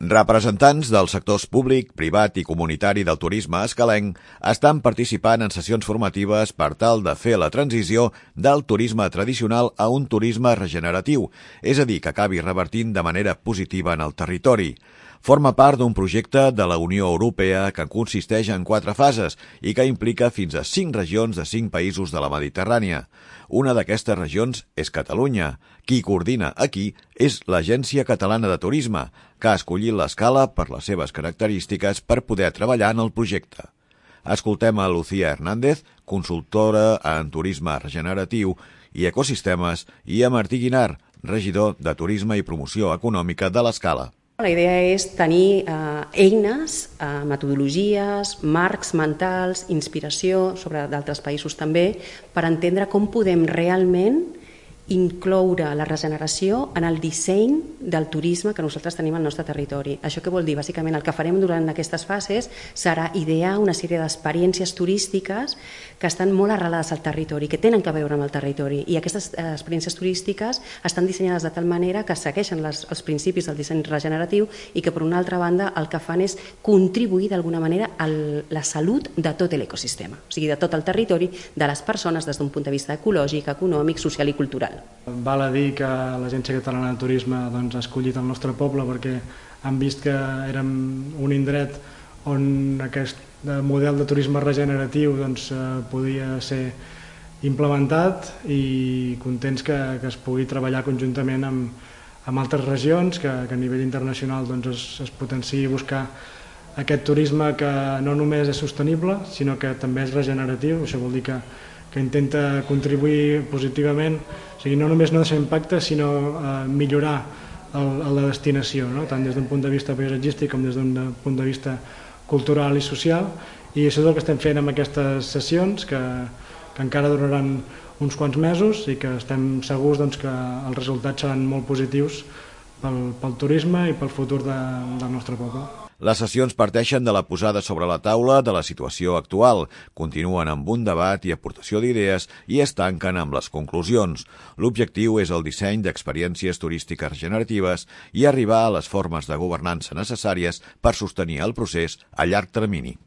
Representants dels sectors públic, privat i comunitari del turisme escalenc estan participant en sessions formatives per tal de fer la transició del turisme tradicional a un turisme regeneratiu, és a dir, que acabi revertint de manera positiva en el territori. Forma part d'un projecte de la Unió Europea que consisteix en 4 fases i que implica fins a 5 regions de 5 països de la Mediterrània. Una d'aquestes regions és Catalunya. Qui coordina aquí és l'Agència Catalana de Turisme, que ha escollit l'Escala per les seves característiques per poder treballar en el projecte. Escoltem a Lucía Hernández, consultora en turisme regeneratiu i ecosistemes, i a Martí Guinar, regidor de Turisme i Promoció Econòmica de l'Escala. La idea és tenir eines, metodologies, marcs mentals, inspiració sobre d'altres països també, per entendre com podem realment incloure la regeneració en el disseny del turisme que nosaltres tenim al nostre territori. Això què vol dir? Bàsicament el que farem durant aquestes fases serà idear una sèrie d'experiències turístiques que estan molt arrelades al territori, que tenen a veure amb el territori, i aquestes experiències turístiques estan dissenyades de tal manera que segueixen els principis del disseny regeneratiu i que, per una altra banda, el que fan és contribuir d'alguna manera a la salut de tot l'ecosistema, o sigui, de tot el territori, de les persones des d'un punt de vista ecològic, econòmic, social i cultural. Val a dir que l'Agència Catalana de Turisme ha escollit el nostre poble perquè han vist que érem un indret on aquest model de turisme regeneratiu podia ser implementat, i contents que es pugui treballar conjuntament amb altres regions, que a nivell internacional es potenciï buscar aquest turisme que no només és sostenible, sinó que també és regeneratiu. Això vol dir que intenta contribuir positivament, o sigui, no només no deixar impacte, sinó millorar la destinació, tant des d'un punt de vista paisatgístic com des d'un punt de vista cultural i social. I això és el que estem fent amb aquestes sessions, que encara duraran uns quants mesos i que estem segurs que els resultats seran molt positius pel turisme i pel futur del nostre poble. Les sessions parteixen de la posada sobre la taula de la situació actual, continuen amb un debat i aportació d'idees i es tanquen amb les conclusions. L'objectiu és el disseny d'experiències turístiques regeneratives i arribar a les formes de governança necessàries per sostenir el procés a llarg termini.